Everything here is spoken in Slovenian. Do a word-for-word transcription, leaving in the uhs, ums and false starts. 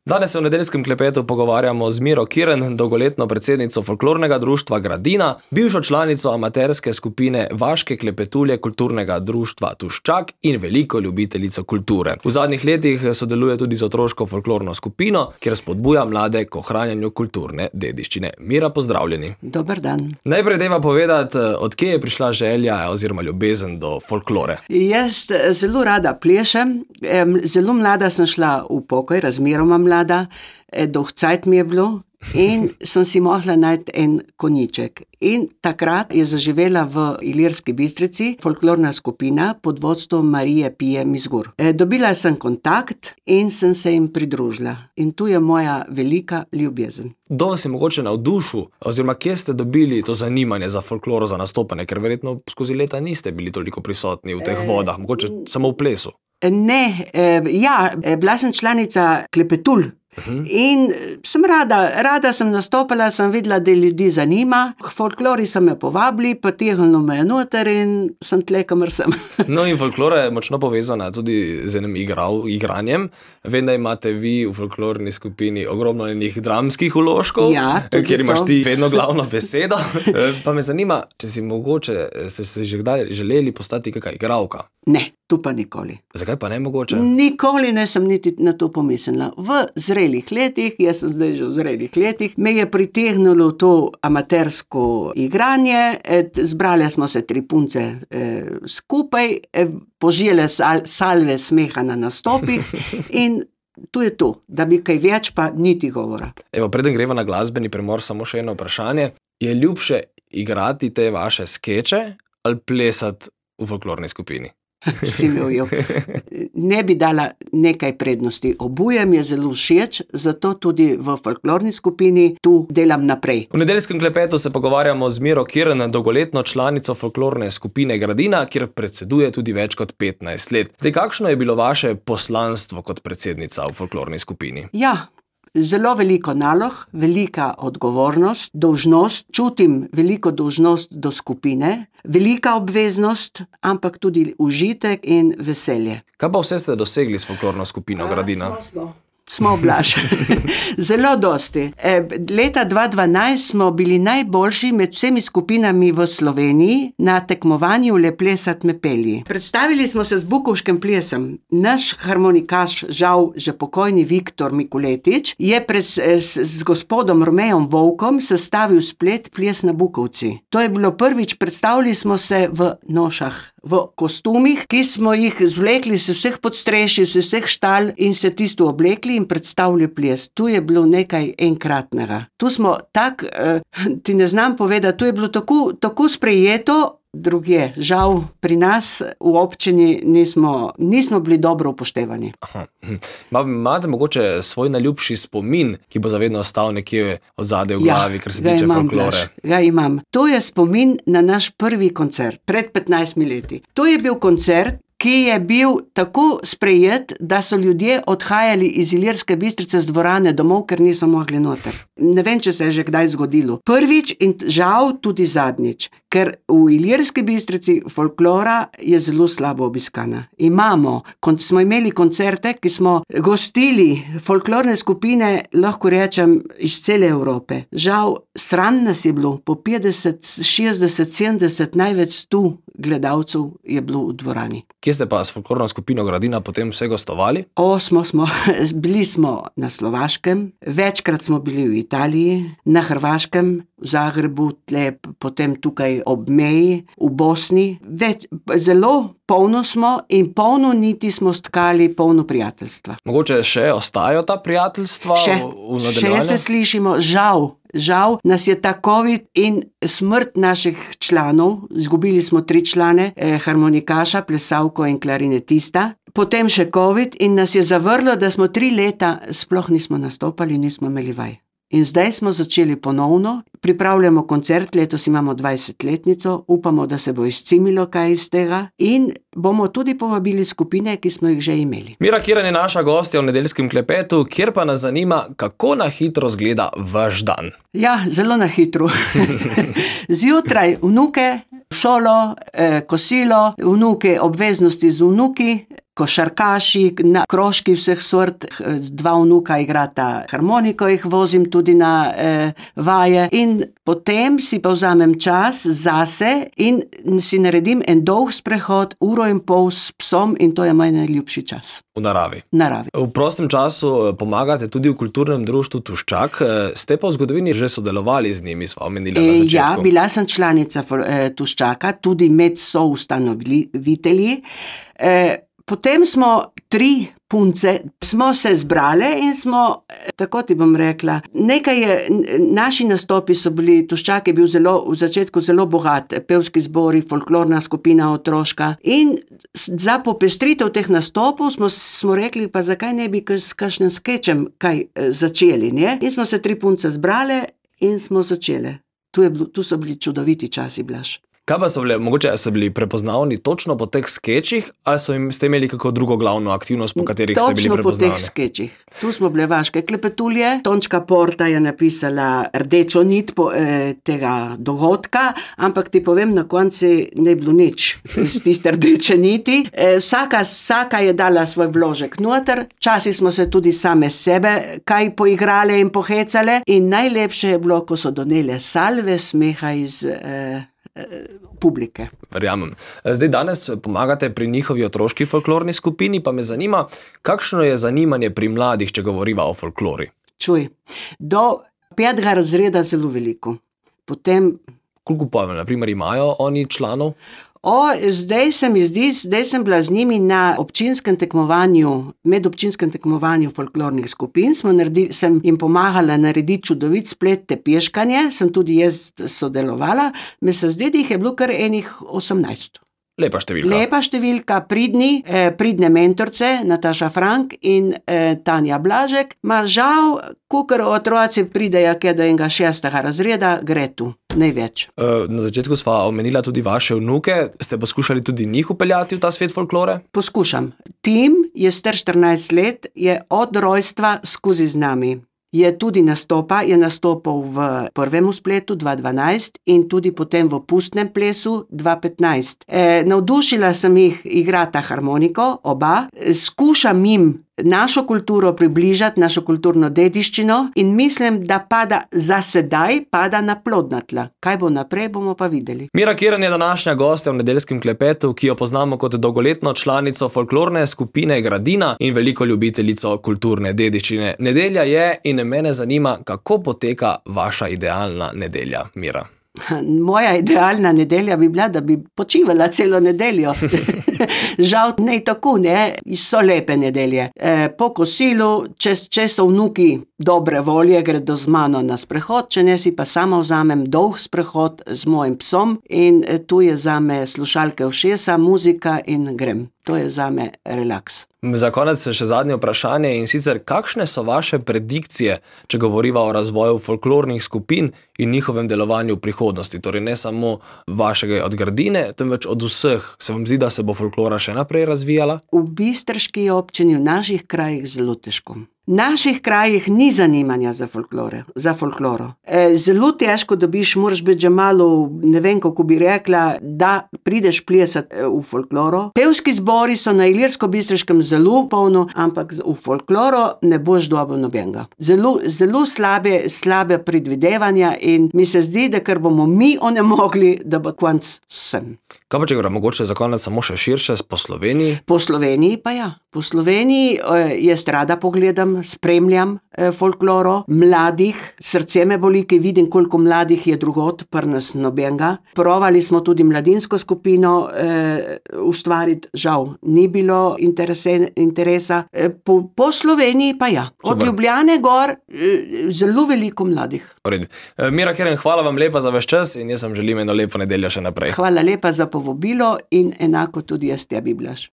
Danes se v nedeljskem klepetu pogovarjamo z Miro Kirn, dolgoletno predsednico folklornega društva Gradina, bivšo članico amaterske skupine Vaške klepetulje kulturnega društva Tuščak in veliko ljubiteljico kulture. V zadnjih letih sodeluje tudi z otroško folklorno skupino, kjer spodbuja mlade k ohranjanju kulturne dediščine. Mira, pozdravljeni. Dober dan. Najprej deva povedati, od kje je prišla želja oziroma ljubezen do folklore. Jaz zelo rada plešem. Zelo mlada sem šla v pokoj, razmeroma mlada, dolg cajt mi je bilo in sem si mogla najti en konjiček. In takrat je zaživela v Ilirski Bistrici folklorna skupina pod vodstvom Marije Pije Mizgur. Dobila sem kontakt in sem se jim pridružila. In tu je moja velika ljubezen. Kdo vas je mogoče navdušil, oziroma kje ste dobili to zanimanje za folkloro, za nastopanje, ker verjetno skozi leta niste bili toliko prisotni v teh vodah, mogoče samo v plesu? Ne, ja, bila sem članica Klepetul. In sem rada, rada sem nastopala, sem videla, da ljudi zanima. K folklori so me povabili, potegnilo me je noter in sem tle, kamor sem. No, in folklora je močno povezana tudi z enim igral, igranjem. Vem, da imate vi v folklorni skupini ogromno enih dramskih vložkov, ja, kjer imaš ti vedno glavno besedo. Pa me zanima, če si mogoče, ste se že kdaj želeli postati kakšna igralka? Ne, tu pa nikoli. Zakaj pa ne mogoče? Nikoli ne sem niti na to pomislila. V zrelih letih, jaz sem zdaj že v zrelih letih, me je pritegnilo to amatersko igranje, zbrali smo se tri punce eh, skupaj, eh, požile sal, salve smeha na nastopih in tu je to, da bi kaj več pa niti govora. Evo, preden greva na glasbeni premor, samo še eno vprašanje. Je ljubše igrati te vaše skeče ali plesati v folklorni skupini? Si me ujel. Ne bi dala nekaj prednosti. Oboje mi je zelo všeč, zato tudi v folklorni skupini tu delam naprej. V nedeljskem klepetu se pogovarjamo z Miro Kirn, dolgoletno članico folklorne skupine Gradina, kjer predseduje tudi več kot petnajst let. Zdaj, kakšno je bilo vaše poslanstvo kot predsednica v folklorni skupini? Ja, zelo veliko nalog, velika odgovornost, dolžnost, čutim veliko dolžnost do skupine, velika obveznost, ampak tudi užitek in veselje. Kaj pa vse ste dosegli s folklorno skupino Gradina? Smo, smo. Smo oblašali. Zelo dosti. E, leta dva tisoč dvanajst smo bili najboljši med vsemi skupinami v Sloveniji na tekmovanju Le plesat me pelji. Predstavili smo se z bukovškim plesom. Naš harmonikaš, žal že pokojni Viktor Mikuletič, je pred, s, z gospodom Romejom Volkom sestavil splet Ples na Bukovci. To je bilo prvič, predstavili smo se v nošah, v kostumih, ki smo jih zvlekli z vseh podstrešij, z vseh štal in se tisto oblekli in predstavili ples. Tu je bilo nekaj enkratnega. Tu smo tak, eh, ti ne znam povedati, tu je bilo tako, tako sprejeto, drugje. Žal, pri nas v občini nismo, nismo bili dobro upoštevani. Imate mogoče svoj najljubši spomin, ki bo zavedno ostal nekje odzadaj v glavi, ja, kar se tiče folklore? Ja, imam. To je spomin na naš prvi koncert, pred petnajstimi leti. To je bil koncert, ki je bil tako sprejet, da so ljudje odhajali iz Ilirske Bistrice z dvorane domov, ker niso mogli noter. Ne vem, če se je že kdaj zgodilo. Prvič in žal tudi zadnjič, ker v Ilirski Bistrici folklora je zelo slabo obiskana. Imamo, kon, smo imeli koncerte, ki smo gostili folklorne skupine, lahko rečem, iz cele Evrope. Žal, sram nas je bilo, po petdeset, šestdeset, sedemdeset, največ sto gledalcev je bilo v dvorani. Kje ste pa s folklorno skupino Gradina potem vse gostovali? O, smo, smo. Bili smo na Slovaškem, večkrat smo bili v Italiji, na Hrvaškem, v Zagrebu, tle, potem tukaj ob meji, v Bosni. Več, zelo polno smo in polno niti smo stkali, polno prijateljstva. Mogoče še ostajajo ta prijateljstva še, v, v nadaljevanju? Še se slišimo, žal. Žal nas je ta COVID in smrt naših članov, izgubili smo tri člane, eh, harmonikaša, plesavko in klarinetista, potem še COVID in nas je zavrlo, da smo tri leta sploh nismo nastopali, nismo imeli vaj. In zdaj smo začeli ponovno, pripravljamo koncert, letos imamo dvajsetletnico, upamo, da se bo izcimilo kaj iz tega in bomo tudi povabili skupine, ki smo jih že imeli. Mira Kirn je naša gostja v nedeljskem klepetu, kjer pa nas zanima, kako na hitro zgleda vaš dan. Ja, zelo na hitro. Zjutraj vnuke, šolo, eh, kosilo, vnuke, obveznosti z vnuki, košarkaši, na krožki vseh sort, dva vnuka igrata harmoniko, jih vozim tudi na eh, vaje in potem si pa vzamem čas zase in si naredim en dolg sprehod, uro in pol s psom in to je moj najljubši čas. V naravi. Naravi. V prostem času pomagate tudi v kulturnem društvu Tuščak, ste pa v zgodovini že sodelovali z njimi, sva omenila na začetku. Ja, bila sem članica eh, Tuščaka, tudi med soustanovitelji. Eh, potem smo tri punce, smo se zbrale in smo, tako ti bom rekla, nekaj je, naši nastopi so bili, Tuščak je bil zelo, v začetku zelo bogat, pevski zbori, folklorna skupina otroška in za popestritev teh nastopov smo, smo rekli, pa zakaj ne bi s kakšnim skečem kaj začeli, ne? In smo se tri punce zbrale in smo začele. Tu, je, tu so bili čudoviti časi, Blaž. Kaj pa so bile, mogoče so bili prepoznavni točno po teh skečih, ali so jim, ste imeli kako drugo glavno aktivnost, po katerih točno ste bili prepoznavni? Točno po teh skečih. Tu smo bile vaške klepetulje, Tončka Porta je napisala rdečo nit po, eh, tega dogodka, ampak ti povem, na konci ne bilo nič iz tiste rdeče niti. Eh, vsaka, vsaka je dala svoj vložek noter, časi smo se tudi same sebe kaj poigrale in pohecale in najlepše je bilo, ko so donele salve smeha iz eh, publike. Verjamem. Zdaj danes pomagate pri njihovi otroški folklorni skupini, pa me zanima, kakšno je zanimanje pri mladih, če govoriva o folklori? Čuj, do petega razreda zelo veliko. Potem... Koliko pa, na primer, imajo oni članov? O, zdaj se mi zdi, zdaj sem bila z njimi na občinskem tekmovanju, medobčinskem tekmovanju folklornih skupin, smo naredili, sem jim pomagala narediti čudovit splet tepeškanje, sem tudi jaz sodelovala, me se zdi, da jih je bilo kar enih osemnajst. Lepa številka. Lepa številka, pridni, eh, pridne mentorce, Nataša Frank in eh, Tanja Blažek, ma žal, kukor otroci pridejo kje do enega šestega razreda, gre tu, največ. E, na začetku sva omenila tudi vaše vnuke, ste poskušali tudi njih upeljati v ta svet folklore? Poskušam. Tim je star štirinajst let, je od rojstva skozi z nami. Je tudi nastopa, je nastopal v prvem spletu dva dvanajst in tudi potem v pustnem plesu dva petnajst. E, navdušila sem jih igrata harmoniko, oba, skušam jim našo kulturo približati, našo kulturno dediščino in mislim, da pada za sedaj, pada na plodna tla. Kaj bo naprej, bomo pa videli. Mira Kirn je današnja gostja v nedeljskem klepetu, ki jo poznamo kot dolgoletno članico folklorne skupine Gradina in veliko ljubiteljico kulturne dediščine. Nedelja je in mene zanima, kako poteka vaša idealna nedelja, Mira. Moja idealna nedelja bi bila, da bi počivala celo nedeljo. Žal ne tako, ne, so lepe nedelje. E, po kosilu, če, če so vnuki dobre volje, gredo z mano na sprehod, če ne si pa sama vzamem dolg sprehod z mojim psom in tu je zame slušalke ušesa, muzika in grem. To je zame relaks. Za konec še zadnje vprašanje in sicer, kakšne so vaše predikcije, če govoriva o razvoju folklornih skupin in njihovem delovanju v prihodnosti, torej ne samo vašega od Gradine, temveč od vseh. Se vam zdi, da se bo folklora še naprej razvijala? V bistriški občini, v naših krajih zelo težko. V naših krajih ni zanimanja za folklore, za folkloro. E, zelo težko dobiš, moraš biti že malo, ne vem, kako bi rekla, da prideš plesati v folkloro. Pevski zbori so na Ilirsko-Bistriškem zelo polno, ampak v folkloro ne boš dobil nobenega. Zelo, zelo slabe, slabe predvidevanja in mi se zdi, da ker bomo mi onemogli, da bo konc vsem. Kaj pa če gre mogoče za konec samo še širše po Sloveniji? Po Sloveniji pa ja. Po Sloveniji eh, jaz rada pogledam, spremljam eh, folkloro, mladih, srce me boli, ki vidim, koliko mladih je drugod, pri nas nobenega. Provali smo tudi mladinsko skupino eh, ustvariti, žal, ni bilo interese, interesa. Eh, po, po Sloveniji pa ja. Od Super. Ljubljane gor eh, zelo veliko mladih. E, Mira Kirn, hvala vam lepa za vaš čas in jaz vam želim eno lepo nedeljo še naprej. Hvala lepa za povabilo in enako tudi jaz tebi, Blaž.